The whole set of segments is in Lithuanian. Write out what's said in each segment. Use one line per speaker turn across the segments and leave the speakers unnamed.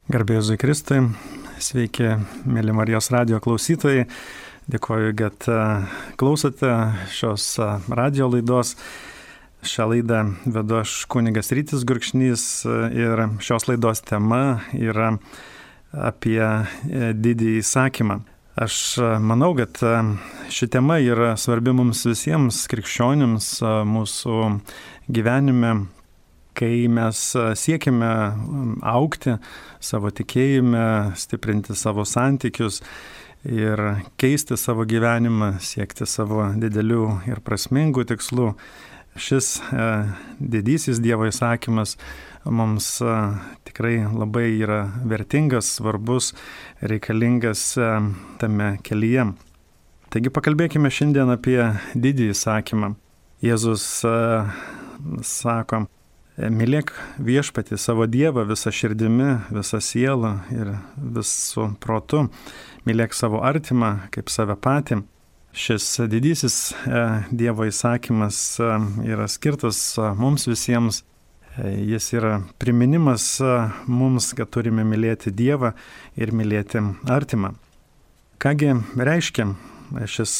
Garbė Jėzui Kristui, sveiki, mėly Marijos radijo klausytojai. Dėkoju, kad klausote šios radijo laidos. Šią laidą vedu aš kunigas Rytis Gurkšnys ir šios laidos tema yra apie didįjį įsakymą. Aš manau, kad ši tema yra svarbi mums visiems krikščionims mūsų gyvenime, kai mes siekime augti savo tikėjime, stiprinti savo santykius ir keisti savo gyvenimą, siekti savo didelių ir prasmingų tikslų. Šis didysis Dievo įsakymas mums tikrai labai yra vertingas, svarbus, reikalingas tame kelyje. Taigi pakalbėkime šiandien apie didįjį įsakymą. Jėzus sako: mylėk viešpatį savo Dievą visą širdimi, visą sielą ir visų protu. Mylėk savo artimą kaip save patį. Šis didysis Dievo įsakymas yra skirtas mums visiems. Jis yra priminimas mums, kad turime mylėti Dievą ir mylėti artimą. Kągi reiškia šis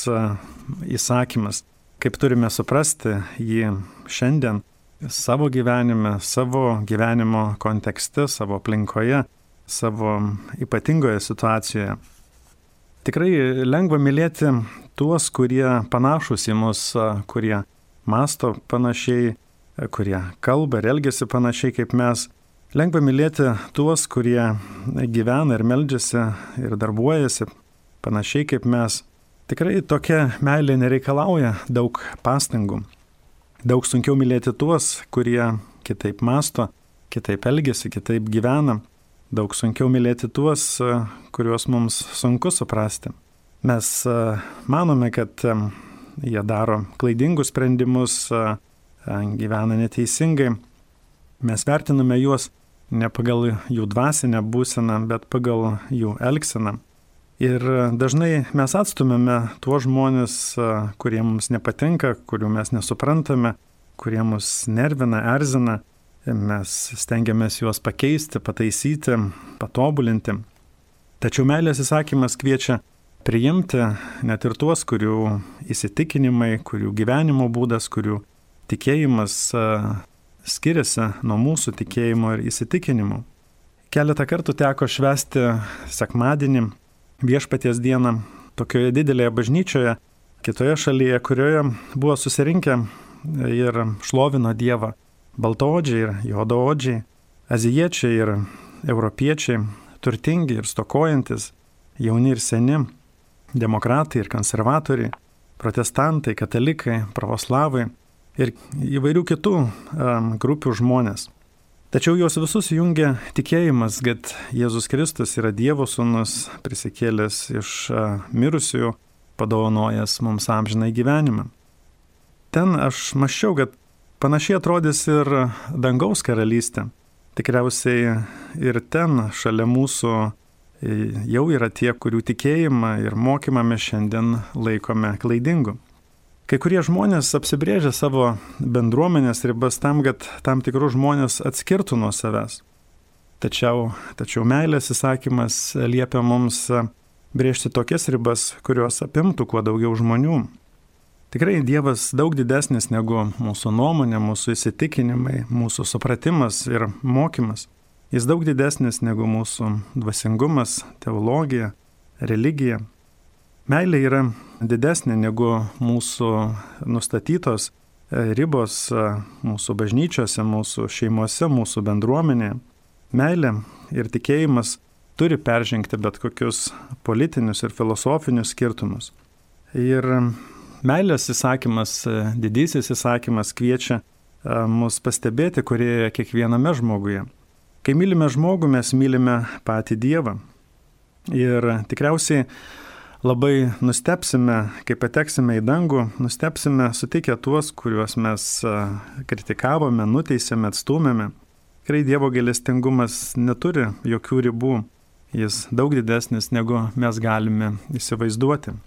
įsakymas? Kaip turime suprasti jį šiandien? Savo gyvenime, savo gyvenimo kontekste, savo aplinkoje, savo ypatingoje situacijoje. Tikrai lengva mylėti tuos, kurie panašus į mus, kurie masto panašiai, kurie kalba ir elgiasi panašiai kaip mes. Lengva mylėti tuos, kurie gyvena ir meldžiasi ir darbuojasi panašiai kaip mes. Tikrai tokia meilė nereikalauja daug pastangų. Daug sunkiau mylėti tuos, kurie kitaip masto, kitaip elgiasi, kitaip gyvena. Daug sunkiau mylėti tuos, kuriuos mums sunku suprasti. Mes manome, kad jie daro klaidingus sprendimus, gyvena neteisingai. Mes vertiname juos ne pagal jų dvasinę būseną, bet pagal jų elgseną. Ir dažnai mes atstumėme tuos žmonės, kurie mums nepatinka, kurių mes nesuprantame, kurie mus nervina, erzina. Mes stengiamės juos pakeisti, pataisyti, patobulinti. Tačiau meilės įsakymas kviečia priimti net ir tuos, kurių įsitikinimai, kurių gyvenimo būdas, kurių tikėjimas skiriasi nuo mūsų tikėjimo ir įsitikinimų. Keletą kartų teko švęsti sekmadienį, Viešpaties dieną, tokioje didelėje bažnyčioje, kitoje šalyje, kurioje buvo susirinkę ir šlovino Dievą baltaodžiai ir juodaodžiai, azijiečiai ir europiečiai, turtingi ir stokojantis, jauni ir seni, demokratai ir konservatoriai, protestantai, katalikai, pravoslavai ir įvairių kitų grupių žmonės. Tačiau juos visus jungia tikėjimas, kad Jėzus Kristus yra Dievo sūnus, prisikėlęs iš mirusiųjų, padovanojęs mums amžinąjį gyvenimą. Ten aš mąsčiau, kad panašiai atrodys ir dangaus karalystė. Tikriausiai ir ten šalia mūsų jau yra tie, kurių tikėjimą ir mokymą mes šiandien laikome klaidingu. Kai kurie žmonės apsibrėžia savo bendruomenės ribas tam, kad tam tikrus žmonės atskirtų nuo savęs. Tačiau meilės įsakymas liepia mums brėžti tokias ribas, kurios apimtų kuo daugiau žmonių. Tikrai Dievas daug didesnis negu mūsų nuomonė, mūsų įsitikinimai, mūsų supratimas ir mokymas. Jis daug didesnis negu mūsų dvasingumas, teologija, religija. Meilė yra didesnė negu mūsų nustatytos ribos mūsų bažnyčiose, mūsų šeimose, mūsų bendruomenėje. Meilė ir tikėjimas turi peržengti bet kokius politinius ir filosofinius skirtumus. Ir meilės įsakymas, didysis įsakymas kviečia mus pastebėti, kurie yra kiekviename žmoguje. Kai mylime žmogų, mes mylime patį Dievą. Ir tikriausiai labai nustebsime, kai pateksime į dangų, nustebsime sutikę tuos, kuriuos mes kritikavome, nuteisėme, atstūmėme. Tikrai Dievo gailestingumas neturi jokių ribų. Jis daug didesnis, negu mes galime įsivaizduoti.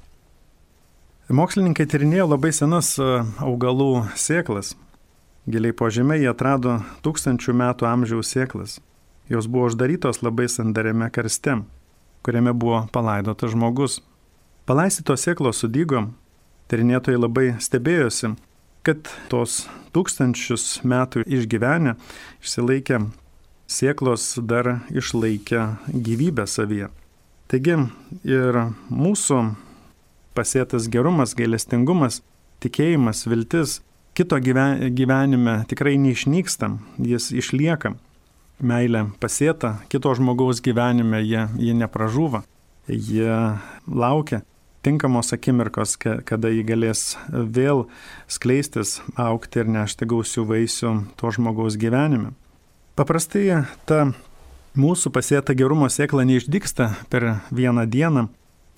Mokslininkai tyrinėjo labai senas augalų sėklas. Giliai po žeme jie atrado 1000 metų amžiaus sėklas. Jos buvo uždarytos labai sandariame karste, kuriame buvo palaidotas žmogus. Palaistytos sėklos sudygo, tyrinėtojai labai stebėjosi, kad tos 1000 metų išgyvenę, išsilaikę sėklos dar išlaikė gyvybę savyje. Taigi ir mūsų pasėtas gerumas, gailestingumas, tikėjimas, viltis kito gyvenime tikrai neišnyksta, jis išlieka. Meilė pasėta kito žmogaus gyvenime, jie nepražūva, jie laukia tinkamos akimirkos, kada jį galės vėl skleistis, augti ir nešti gausių vaisių to žmogaus gyvenime. Paprastai ta mūsų pasėta gerumo sėkla neišdygsta per vieną dieną,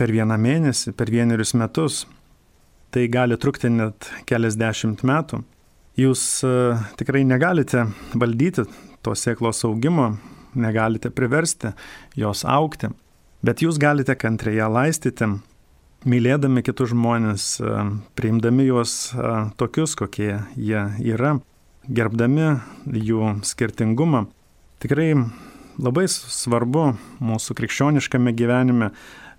per vieną mėnesį, per 1 metus. Tai gali trukti net keliasdešimt metų. Jūs tikrai negalite valdyti to sėklos augimo, negalite priversti jos augti, bet jūs galite kantriai ją laistyti, mylėdami kitus žmonės, priimdami juos tokius, kokie jie yra, gerbdami jų skirtingumą. Tikrai labai svarbu mūsų krikščioniškame gyvenime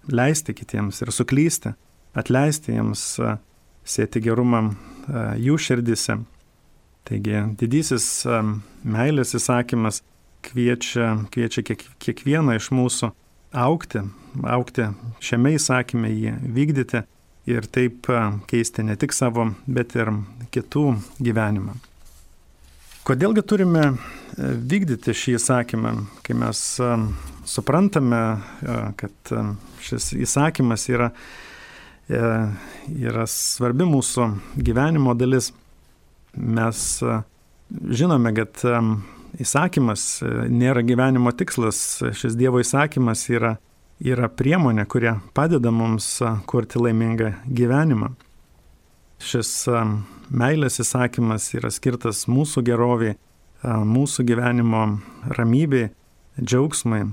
leisti kitiems ir suklysti, atleisti jiems, sėti gerumą jų širdise. Taigi didysis meilės įsakymas kviečia kiekvieną iš mūsų augti šiame įsakyme, jį vykdyti ir taip keisti ne tik savo, bet ir kitų gyvenimą. Kodėlgi turime vykdyti šį įsakymą, kai mes suprantame, kad šis įsakymas yra svarbi mūsų gyvenimo dalis. Mes žinome, kad įsakymas nėra gyvenimo tikslas, šis Dievo įsakymas yra priemonė, kuri padeda mums kurti laimingą gyvenimą. Šis meilės įsakymas yra skirtas mūsų geroviai, mūsų gyvenimo ramybei, džiaugsmai.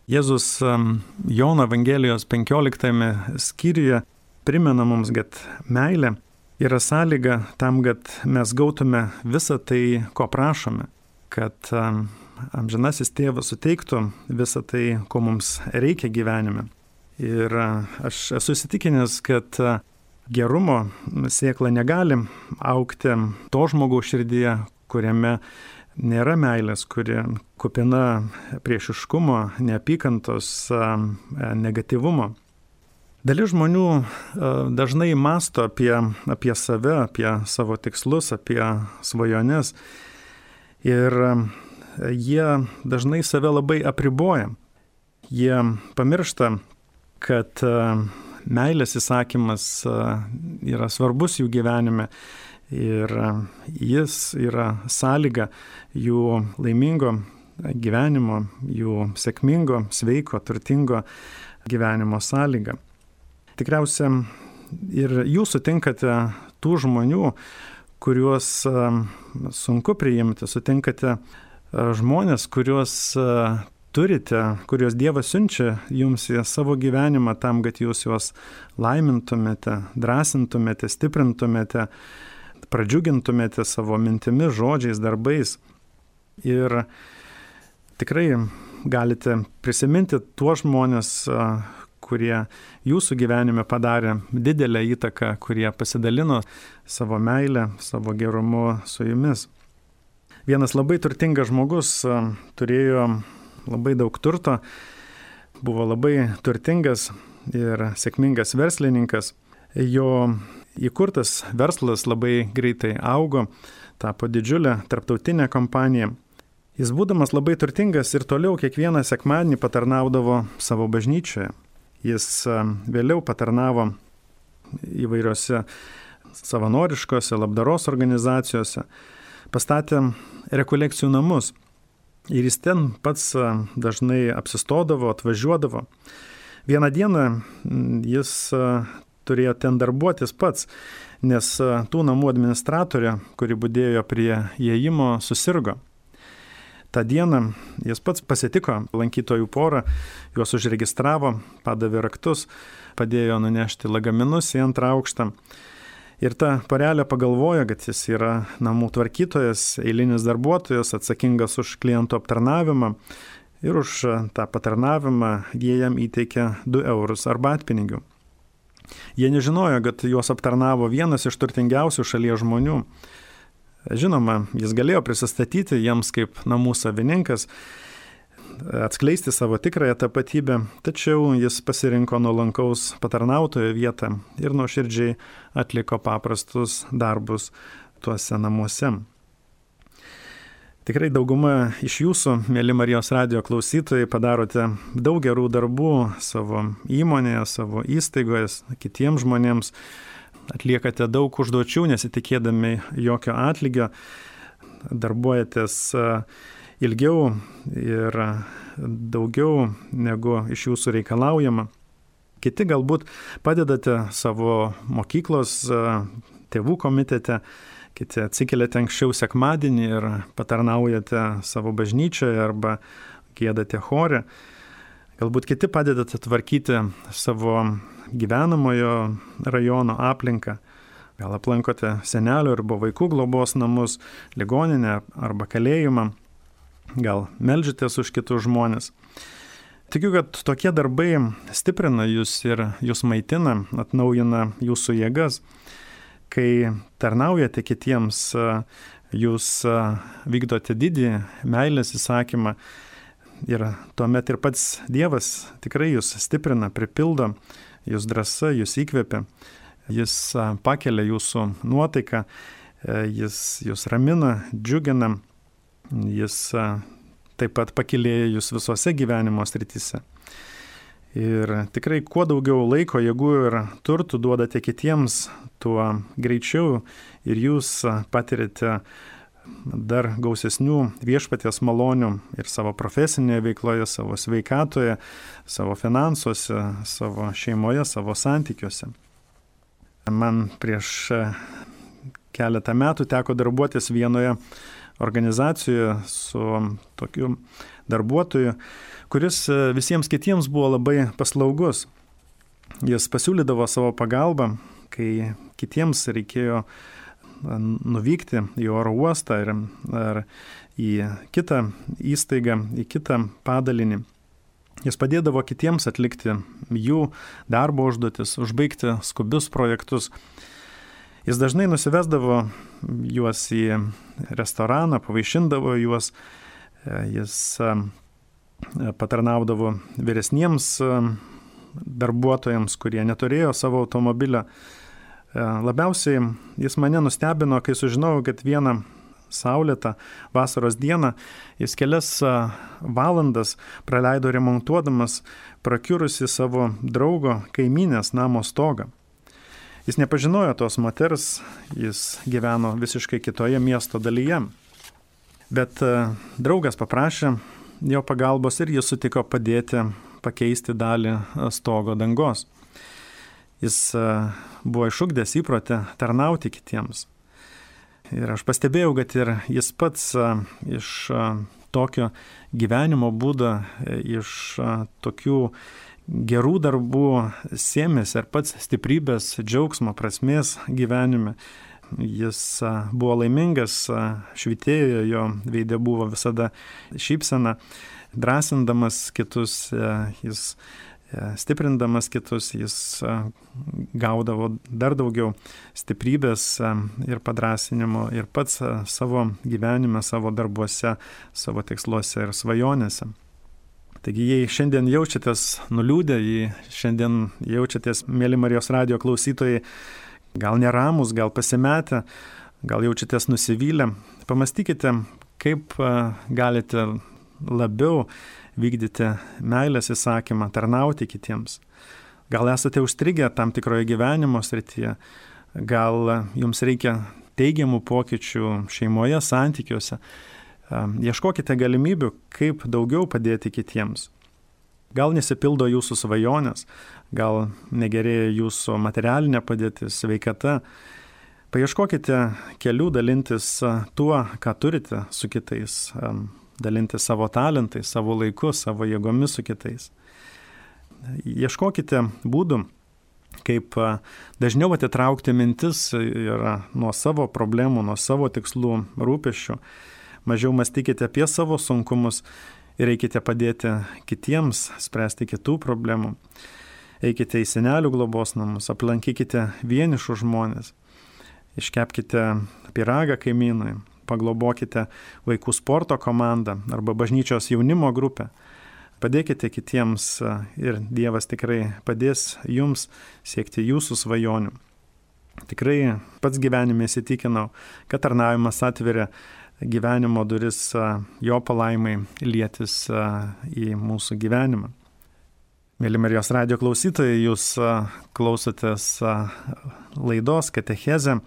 Jėzus Jono Evangelijos 15 skyriuje primena mums, kad meilė yra sąlyga tam, kad mes gautume visą tai, ko prašome, kad amžinasis tėvas suteiktų visą tai, ko mums reikia gyvenime. Ir aš esu įsitikinęs, kad gerumo sėkla negali augti to žmogaus širdyje, kuriame nėra meilės, kuri kupina priešiškumo, neapykantos, negatyvumo. Dalis žmonių dažnai mąsto apie save, apie savo tikslus, apie svajones ir jie dažnai save labai apriboja. Jie pamiršta, kad meilės įsakymas yra svarbus jų gyvenime ir jis yra sąlyga jų laimingo gyvenimo, jų sėkmingo, sveiko, turtingo gyvenimo sąlyga. Tikriausiai ir jūs sutinkate tų žmonių, kuriuos sunku priimti, sutinkate žmonės, kuriuos turite, kuriuos Dievas siunčia jums į savo gyvenimą tam, kad jūs juos laimintumėte, drąsintumėte, stiprintumėte, pradžiugintumėte savo mintimis, žodžiais, darbais. Ir tikrai galite prisiminti tuos žmonės, kurie jūsų gyvenime padarė didelę įtaką, kurie pasidalino savo meilę, savo gerumu su jumis. Vienas labai turtingas žmogus turėjo labai daug turto, buvo labai turtingas ir sėkmingas verslininkas. Jo įkurtas verslas labai greitai augo, tapo didžiulė tarptautinė kompanija. Jis būdamas labai turtingas ir toliau kiekvieną sekmadienį patarnaudavo savo bažnyčioje. Jis vėliau patarnavo įvairiose savanoriškose labdaros organizacijose, pastatė rekolekcijų namus ir jis ten pats dažnai apsistodavo, atvažiuodavo. Vieną dieną jis turėjo ten darbuotis pats, nes tų namų administratorė, kuri budėjo prie įėjimo, susirgo. Ta dieną jis pats pasitiko lankytojų porą, juos užregistravo, padavė raktus, padėjo nunešti lagaminus į 2 aukštą. Ir ta porelė pagalvojo, kad jis yra namų tvarkytojas, eilinis darbuotojas, atsakingas už klientų aptarnavimą ir už tą patarnavimą jie jam įteikė 2 eurus arbatpinigių. Jie nežinojo, kad juos aptarnavo vienas iš turtingiausių šalies žmonių. Žinoma, jis galėjo prisistatyti jiems kaip namų savininkas, atskleisti savo tikrąją tapatybę, tačiau jis pasirinko nuolankaus patarnautojo vietą ir nuoširdžiai atliko paprastus darbus tuose namuose. Tikrai dauguma iš jūsų, mėly Marijos radijo klausytojai, padarote daug gerų darbų savo įmonėje, savo įstaigoje, kitiems žmonėms, atliekate daug užduočių, nesitikėdami jokio atlygio, darbuojatės ilgiau ir daugiau negu iš jūsų reikalaujama. Kiti galbūt padedate savo mokyklos tėvų komitete, kiti atsikeliate anksčiau sekmadienį ir patarnaujate savo bažnyčioje arba giedate chore. Galbūt kiti padedate tvarkyti savo gyvenamojo rajono aplinką. Gal aplankote senelių arba vaikų globos namus, ligoninę arba kalėjimą. Gal meldžiatės už kitus žmonės. Tikiu, kad tokie darbai stiprina jūs ir jūs maitina, atnaujina jūsų jėgas. Kai tarnaujate kitiems, jūs vykdote didį meilės įsakymą ir tuomet ir pats Dievas tikrai jūs stiprina, pripildo, jūs drąsa, jūs įkvepia, jis pakelia jūsų nuotaiką, jis jūs ramina, džiugina, jis taip pat pakilėja jūs visose gyvenimo srityse. Ir tikrai kuo daugiau laiko, jėgų ir turtų duodate kitiems, tuo greičiau ir jūs patirite dar gausesnių viešpaties malonių ir savo profesinėje veikloje, savo sveikatoje, savo finansuose, savo šeimoje, savo santykiuose. Man prieš keletą metų teko darbuotis vienoje organizacijoje su tokiu darbuotoju, kuris visiems kitiems buvo labai paslaugus. Jis pasiūlydavo savo pagalbą, kai kitiems reikėjo nuvykti į oro uostą ar į kitą įstaigą, į kitą padalinį. Jis padėdavo kitiems atlikti jų darbo užduotis, užbaigti skubius projektus. Jis dažnai nusivesdavo juos į restoraną, pavaišindavo juos, jis patarnaudavo vyresniems darbuotojams, kurie neturėjo savo automobilio. Labiausiai jis mane nustebino, kai sužinojau, kad vieną saulėtą vasaros dieną jis kelias valandas praleido remontuodamas prakiurusi savo draugo kaimynės namo stogą. Jis nepažinojo tos moters, jis gyveno visiškai kitoje miesto dalyje. Bet draugas paprašė jo pagalbos ir jis sutiko padėti pakeisti dalį stogo dangos. Jis buvo išugdęs įprotį tarnauti kitiems. Ir aš pastebėjau, kad ir jis pats iš tokio gyvenimo būdo, iš tokių gerų darbų sėmėsi ir pats stiprybės, džiaugsmo, prasmės gyvenime. Jis buvo laimingas, švytėjo, jo veide buvo visada šypsena, drąsindamas kitus, jis stiprindamas kitus, jis gaudavo dar daugiau stiprybės ir padrąsinimo ir pats savo gyvenime, savo darbuose, savo tiksluose ir svajonėse. Taigi, jei šiandien jaučiatės nuliūdę, jei šiandien jaučiatės, mėly Marijos radijo klausytojai, gal neramus, gal pasimetę, gal jaučiatės nusivylę, pamastykite, kaip galite labiau vykdyti meilės įsakymą, tarnauti kitiems. Gal esate užstrigę tam tikroje gyvenimo srityje, gal jums reikia teigiamų pokyčių šeimoje, santykiuose. Ieškokite galimybių, kaip daugiau padėti kitiems. Gal nesipildo jūsų svajonės, gal negerėja jūsų materialinė padėtis, sveikata. Paieškokite kelių dalintis tuo, ką turite su kitais, dalintis savo talentais, savo laiku, savo jėgomis su kitais. Ieškokite būdų, kaip dažniau atitraukti mintis ir nuo savo problemų, nuo savo tikslų, rūpesčių. Mažiau mąstykite apie savo sunkumus ir eikite padėti kitiems, spręsti kitų problemų. Eikite į senelių globos namus, aplankykite vienišus žmonės, iškepkite pyragą kaimynui, paglobokite vaikų sporto komandą arba bažnyčios jaunimo grupę. Padėkite kitiems ir Dievas tikrai padės jums siekti jūsų svajonių. Tikrai pats gyvenime įsitikinau, kad tarnavimas atveria gyvenimo duris jo palaimai lietis į mūsų gyvenimą. Mėly Marijos radijo klausytojai, jūs klausotės laidos Katechezė.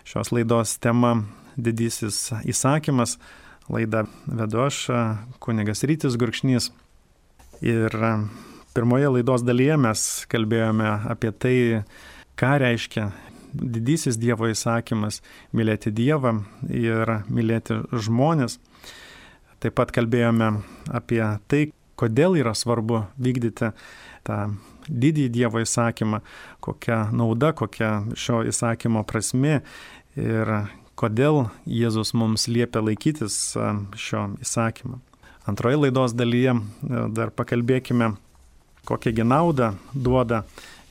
Šios laidos tema Didysis įsakymas. Laidą vedu aš, kunigas Rytis Gurkšnys. Ir pirmoje laidos dalyje mes kalbėjome apie tai, ką reiškia didysis Dievo įsakymas – mylėti Dievą ir mylėti žmonės. Taip pat kalbėjome apie tai, kodėl yra svarbu vykdyti tą didįjį Dievo įsakymą, kokia nauda, kokia šio įsakymo prasmė ir kodėl Jėzus mums liepia laikytis šio įsakymo. Antroje laidos dalyje dar pakalbėkime, kokią naudą duoda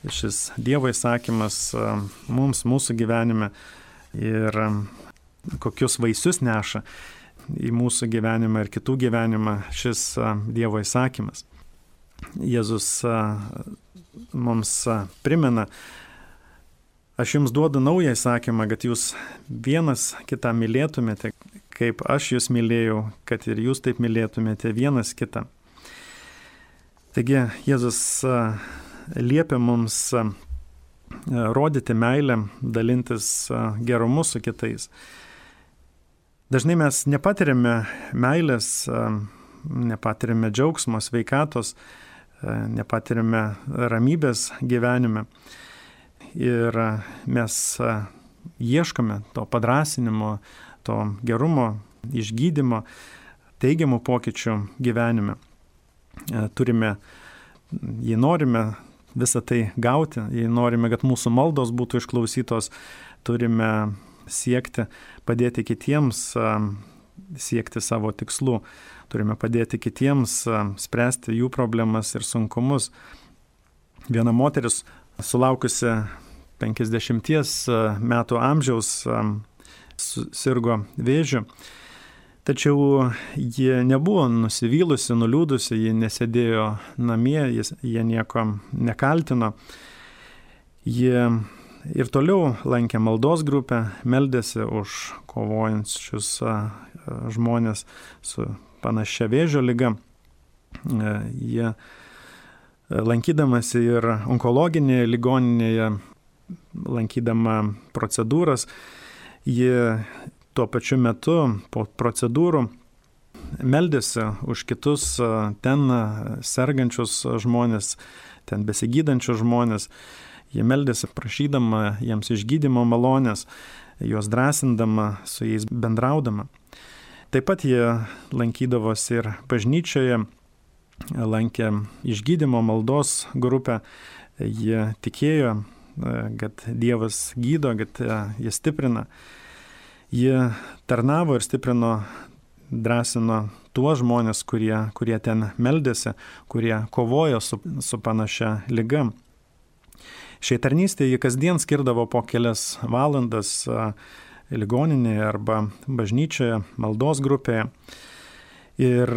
šis Dievo įsakymas mums, mūsų gyvenime ir kokius vaisius neša į mūsų gyvenimą ir kitų gyvenimą šis Dievo įsakymas. Jėzus mums primena, aš jums duodu naują įsakymą, kad jūs vienas kitą mylėtumėte, kaip aš jūs mylėjau, kad ir jūs taip mylėtumėte vienas kitą. Taigi Jėzus liepia mums rodyti meilę, dalintis gerumu su kitais. Dažnai mes nepatiriame meilės, nepatiriame džiaugsmo, sveikatos, nepatiriame ramybės gyvenime. Ir mes ieškome to padrąsinimo, to gerumo, išgydymo, teigiamų pokyčių gyvenime. Jei norime visą tai gauti, jei norime, kad mūsų maldos būtų išklausytos, turime siekti padėti kitiems siekti savo tikslų. Turime padėti kitiems spręsti jų problemas ir sunkumus. Viena moteris, sulaukusi 50 metų amžiaus, sirgo vėžiu. Tačiau ji nebuvo nusivylusi, nuliūdusi, ji nesėdėjo namie, jie nieko nekaltino. Ji ir toliau lankė maldos grupę, meldėsi už kovojančius žmonės su panašia vėžio liga. Jie lankydamasi ir onkologinėje ligoninėje, lankydama procedūras, ji tuo pačiu metu po procedūrų meldėsi už kitus ten sergančius žmonės, ten besigydančius žmonės. Jie meldėsi prašydama jiems išgydymo malonės, juos drąsindama, su jais bendraudama. Taip pat jie lankydavosi ir bažnyčioje, lankė išgydymo maldos grupę. Jie tikėjo, kad Dievas gydo, kad jie stiprina. Jie tarnavo ir stiprino, drąsino tuos žmonės, kurie ten meldėsi, kurie kovojo su panašia liga. Šiai tarnystėje jie kasdien skirdavo po kelias valandas ligoninėje arba bažnyčioje, maldos grupėje. Ir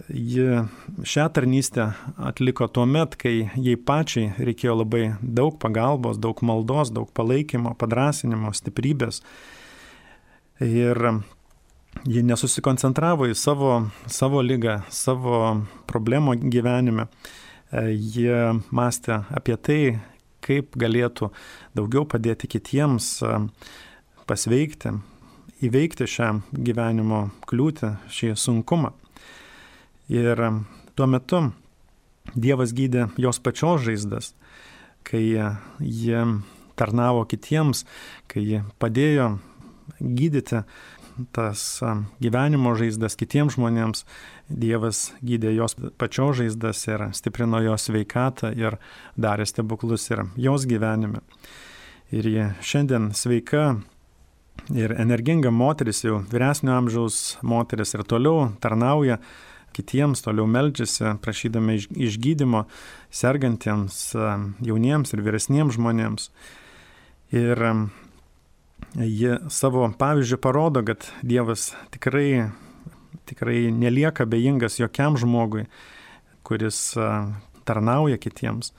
ji šią tarnystę atliko tuo met, kai jai pačiai reikėjo labai daug pagalbos, daug maldos, daug palaikymo, padrąsinimo, stiprybės. Ir ji nesusikoncentravo į savo ligą, savo problemą gyvenime. Jie mąstė apie tai, kaip galėtų daugiau padėti kitiems pasveikti, įveikti šią gyvenimo kliūtį, šį sunkumą. Ir tuo metu Dievas gydė jos pačios žaizdas, kai jie tarnavo kitiems, kai jie padėjo gydyti tas gyvenimo žaizdas kitiems žmonėms. Dievas gydė jos pačios žaizdas ir stiprino jos sveikatą ir darė stebuklus ir jos gyvenime. Ir ji šiandien sveika ir energinga moteris, jau vyresnio amžiaus moteris, ir toliau tarnauja kitiems, toliau meldžiasi, prašydami išgydymo sergantiems jauniems ir vyresniems žmonėms. Ir ji savo pavyzdžių parodo, kad Dievas tikrai nelieka bejingas jokiam žmogui, kuris tarnauja kitiems.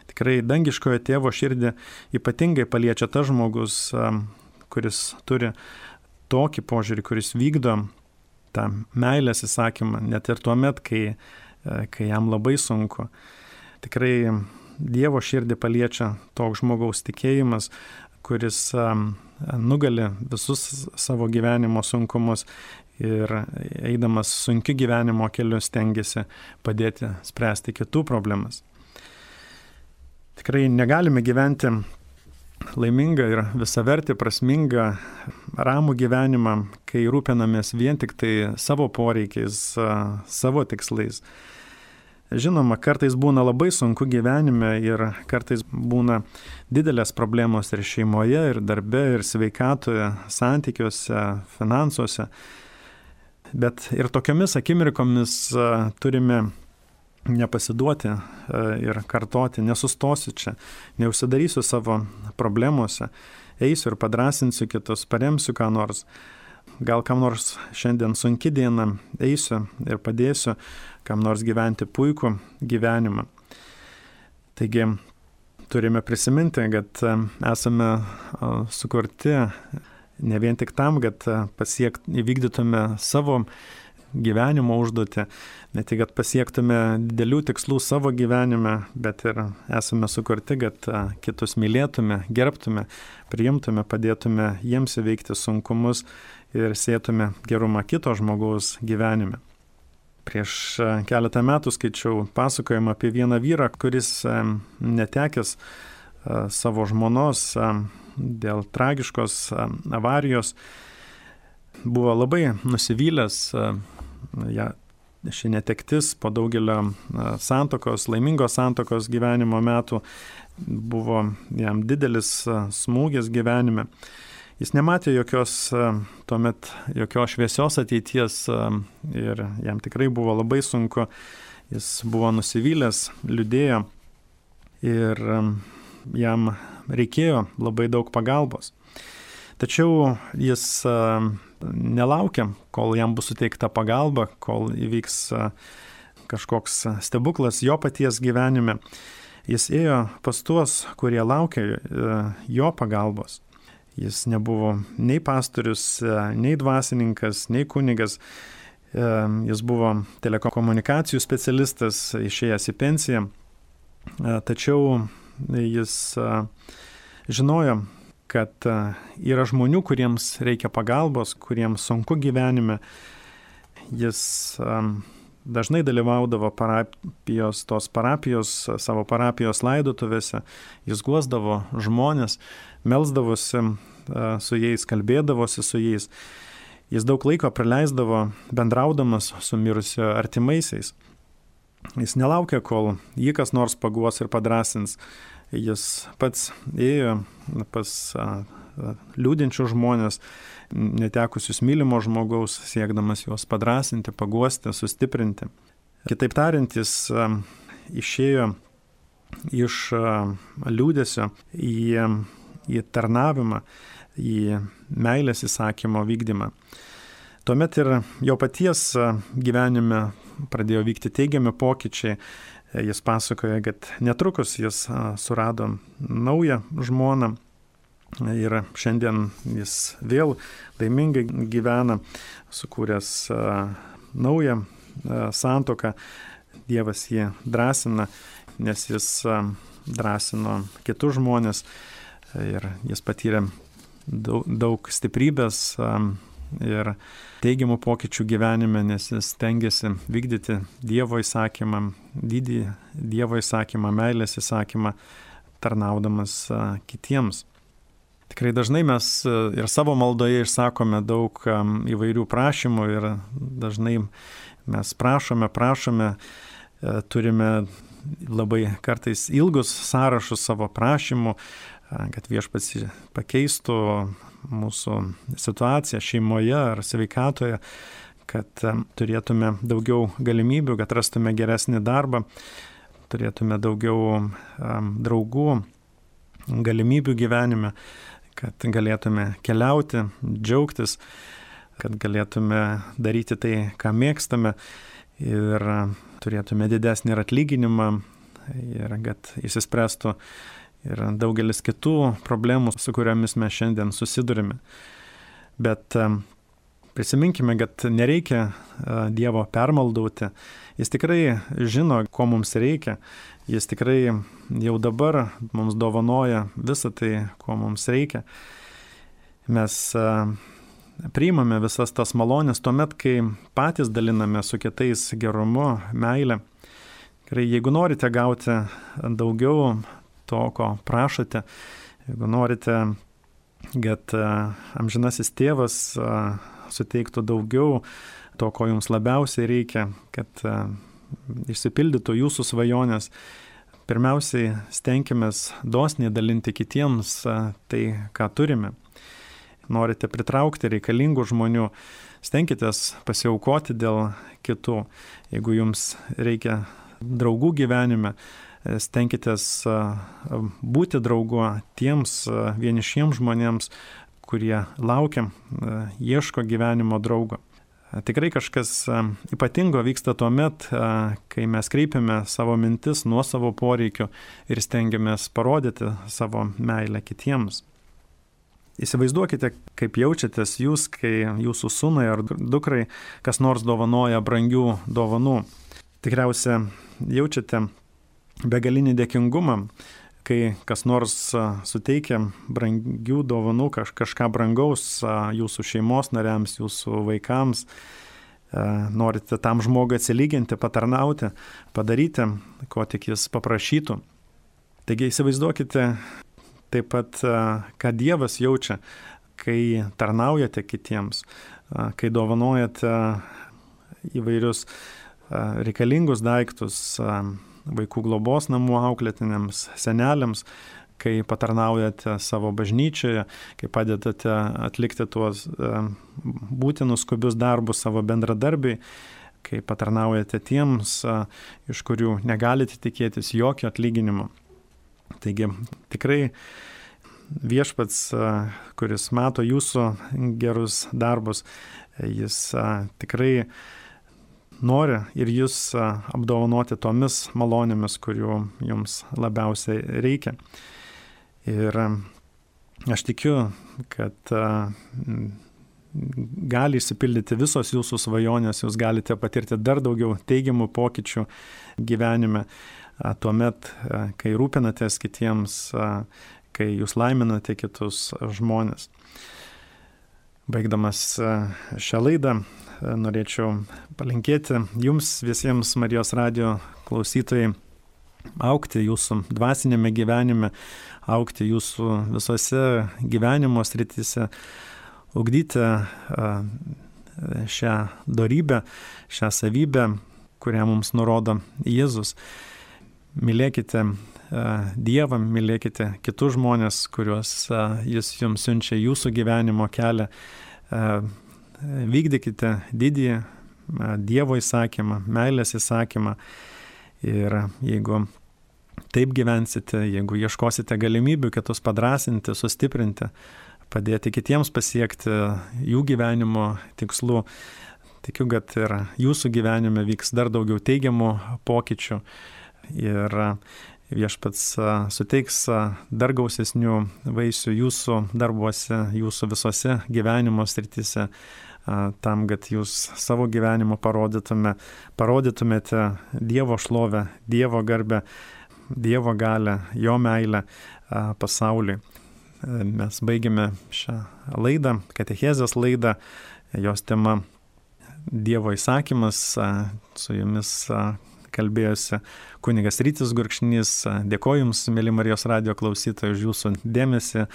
Tikrai dangiškojo tėvo širdį ypatingai paliečia tas žmogus, kuris turi tokį požiūrį, kuris vykdo tą meilės įsakymą, net ir tuo met, kai jam labai sunku. Tikrai Dievo širdį paliečia toks žmogaus tikėjimas, kuris nugali visus savo gyvenimo sunkumus ir eidamas sunkiu gyvenimo keliu stengiasi padėti spręsti kitų problemas. Tikrai negalime gyventi laimingą ir visavertį, prasmingą, ramų gyvenimą, kai rūpinamės vien tik tai savo poreikiais, savo tikslais. Žinoma, kartais būna labai sunku gyvenime ir kartais būna didelės problemos ir šeimoje, ir darbe, ir sveikatoje, santykiuose, finansuose. Bet ir tokiamis akimirkomis turime nepasiduoti ir kartoti, nesustosiu čia, neužsidarysiu savo problemuose, eisiu ir padrasinsiu kitus, paremsiu ką nors. Gal kam nors šiandien sunki diena, eisiu ir padėsiu kam nors gyventi puikų gyvenimą. Taigi turime prisiminti, kad esame sukurti ne vien tik tam, kad įvykdytume savo gyvenimo užduotį, ne tik, kad pasiektume didelių tikslų savo gyvenime, bet ir esame sukurti, kad kitus mylėtume, gerbtume, priimtume, padėtume jiems įveikti sunkumus ir sėtume gerumą kito žmogaus gyvenime. Prieš keletą metų skaičiau pasakojimą apie vieną vyrą, kuris netekęs savo žmonos dėl tragiškos avarijos buvo labai nusivylęs. Ši netektis po daugelio laimingos santuokos gyvenimo metų buvo jam didelis smūgis gyvenime. Jis nematė jokios šviesios ateities ir jam tikrai buvo labai sunku. Jis buvo nusivylęs, liūdėjo ir jam reikėjo labai daug pagalbos. Tačiau jis nelaukia, kol jam bus suteikta pagalba, kol įvyks kažkoks stebuklas jo paties gyvenime. Jis ėjo pas tuos, kurie laukia jo pagalbos. Jis nebuvo nei pastorius, nei dvasininkas, nei kunigas. Jis buvo telekomunikacijų specialistas, išėjęs į pensiją. Tačiau jis žinojo, kad yra žmonių, kuriems reikia pagalbos, kuriems sunku gyvenime. Jis dažnai dalyvaudavo tos parapijos, savo parapijos laidotuvėse. Jis guosdavo žmonės, melsdavosi su jais, kalbėdavosi su jais. Jis daug laiko praleisdavo bendraudamas su mirusio artimaisiais. Jis nelaukia, kol jį kas nors paguos ir padrasins. Jis pats ėjo pas liūdinčius žmonės, netekusius mylimo žmogaus, siekdamas juos padrasinti, paguosti, sustiprinti. Kitaip tariant, jis išėjo iš liūdesio į tarnavimą, į meilės įsakymo vykdymą. Tuomet ir jo paties gyvenime pradėjo vykti teigiami pokyčiai. Jis pasakoja, kad netrukus jis surado naują žmoną ir šiandien jis vėl laimingai gyvena, sukūręs naują santuoką. Dievas jį drąsina, nes jis drąsino kitus žmonės ir jis patyrė daug stiprybės ir teigiamų pokyčių gyvenime, nes jis stengiasi vykdyti Dievo įsakymą, didį Dievo įsakymą, meilės įsakymą, tarnaudamas kitiems. Tikrai dažnai mes ir savo maldoje išsakome daug įvairių prašymų ir dažnai mes prašome, turime labai kartais ilgus sąrašus savo prašymų, kad Viešpats pakeistų mūsų situaciją šeimoje ar sveikatoje, kad turėtume daugiau galimybių, kad rastume geresnį darbą, turėtume daugiau draugų, galimybių gyvenime, kad galėtume keliauti, džiaugtis, kad galėtume daryti tai, ką mėgstame ir turėtume didesnį ir atlyginimą ir kad išsispręstų ir daugelis kitų problemų, su kuriomis mes šiandien susidurime. Bet prisiminkime, kad nereikia Dievo permaldauti. Jis tikrai žino, ko mums reikia. Jis tikrai jau dabar mums dovanoja visą tai, ko mums reikia. Mes priimame visas tas malonės tuomet, kai patys daliname su kitais gerumu, meilę. Jeigu norite gauti daugiau to, ko prašote, jeigu norite, kad amžinasis tėvas suteiktų daugiau to, ko jums labiausiai reikia, kad išsipildytų jūsų svajonės, pirmiausiai stenkimės dosniai dalinti kitiems tai, ką turime. Norite pritraukti reikalingų žmonių, stenkitės pasiaukoti dėl kitų. Jeigu jums reikia draugų gyvenime, stenkitės būti draugu tiems vienišiems žmonėms, kurie laukia, ieško gyvenimo draugo. Tikrai kažkas ypatingo vyksta tuomet, kai mes kreipiame savo mintis nuo savo poreikių ir stengiamės parodyti savo meilę kitiems. Įsivaizduokite, kaip jaučiatės jūs, kai jūsų sūnui ar dukrai kas nors dovanoja brangių dovanų. Tikriausiai jaučiate begalinį dėkingumą, kai kas nors suteikia brangių dovanų, kažką brangaus jūsų šeimos nariams, jūsų vaikams. Norite tam žmogui atsilyginti, patarnauti, padaryti, ko tik jis paprašytų. Taigi įsivaizduokite taip pat, ką Dievas jaučia, kai tarnaujate kitiems, kai dovanojate įvairius reikalingus daiktus vaikų globos namų auklėtiniams, seneliams, kai patarnaujate savo bažnyčioje, kai padedate atlikti tuos būtinus skubius darbus savo bendradarbiai, kai patarnaujate tiems, iš kurių negalite tikėtis jokio atlyginimo. Taigi tikrai viešpats, kuris mato jūsų gerus darbus, jis tikrai nori ir jūs apdovanoti tomis malonėmis, kurių jums labiausiai reikia. Ir aš tikiu, kad gali išsipildyti visos jūsų svajonės, jūs galite patirti dar daugiau teigiamų pokyčių gyvenime, tuomet, kai rūpinatės kitiems, kai jūs laiminate kitus žmonės. Baigdamas šią laidą, norėčiau palinkėti jums visiems Marijos radijo klausytojai augti jūsų dvasinėme gyvenime, augti jūsų visose gyvenimo srityse, ugdyti šią dorybę, šią savybę, kurią mums nurodo Jėzus. Mylėkite Dievą, mylėkite kitus žmonės, kuriuos Jis jums siunčia jūsų gyvenimo kelią. Vykdykite didįjį Dievo įsakymą, meilės įsakymą ir jeigu taip gyvensite, jeigu ieškosite galimybių kitus padrasinti, sustiprinti, padėti kitiems pasiekti jų gyvenimo tikslų, tikiu, kad ir jūsų gyvenime vyks dar daugiau teigiamų pokyčių ir viešpats suteiks dar gausesnių vaisių jūsų darbuose, jūsų visose gyvenimo srityse, tam, kad jūs savo gyvenimo parodytumėte Dievo šlovę, Dievo garbę, Dievo galę, jo meilę pasauliui. Mes baigėme šią laidą, katechezės laidą, jos tema Dievo įsakymas, su jumis kalbėjosi kunigas Rytis Gurkšnys. Dėkoju Jums, mėly Marijos radijo klausytojai, už Jūsų dėmesį.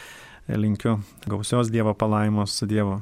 Linkiu gausios Dievo palaimos su Dievu.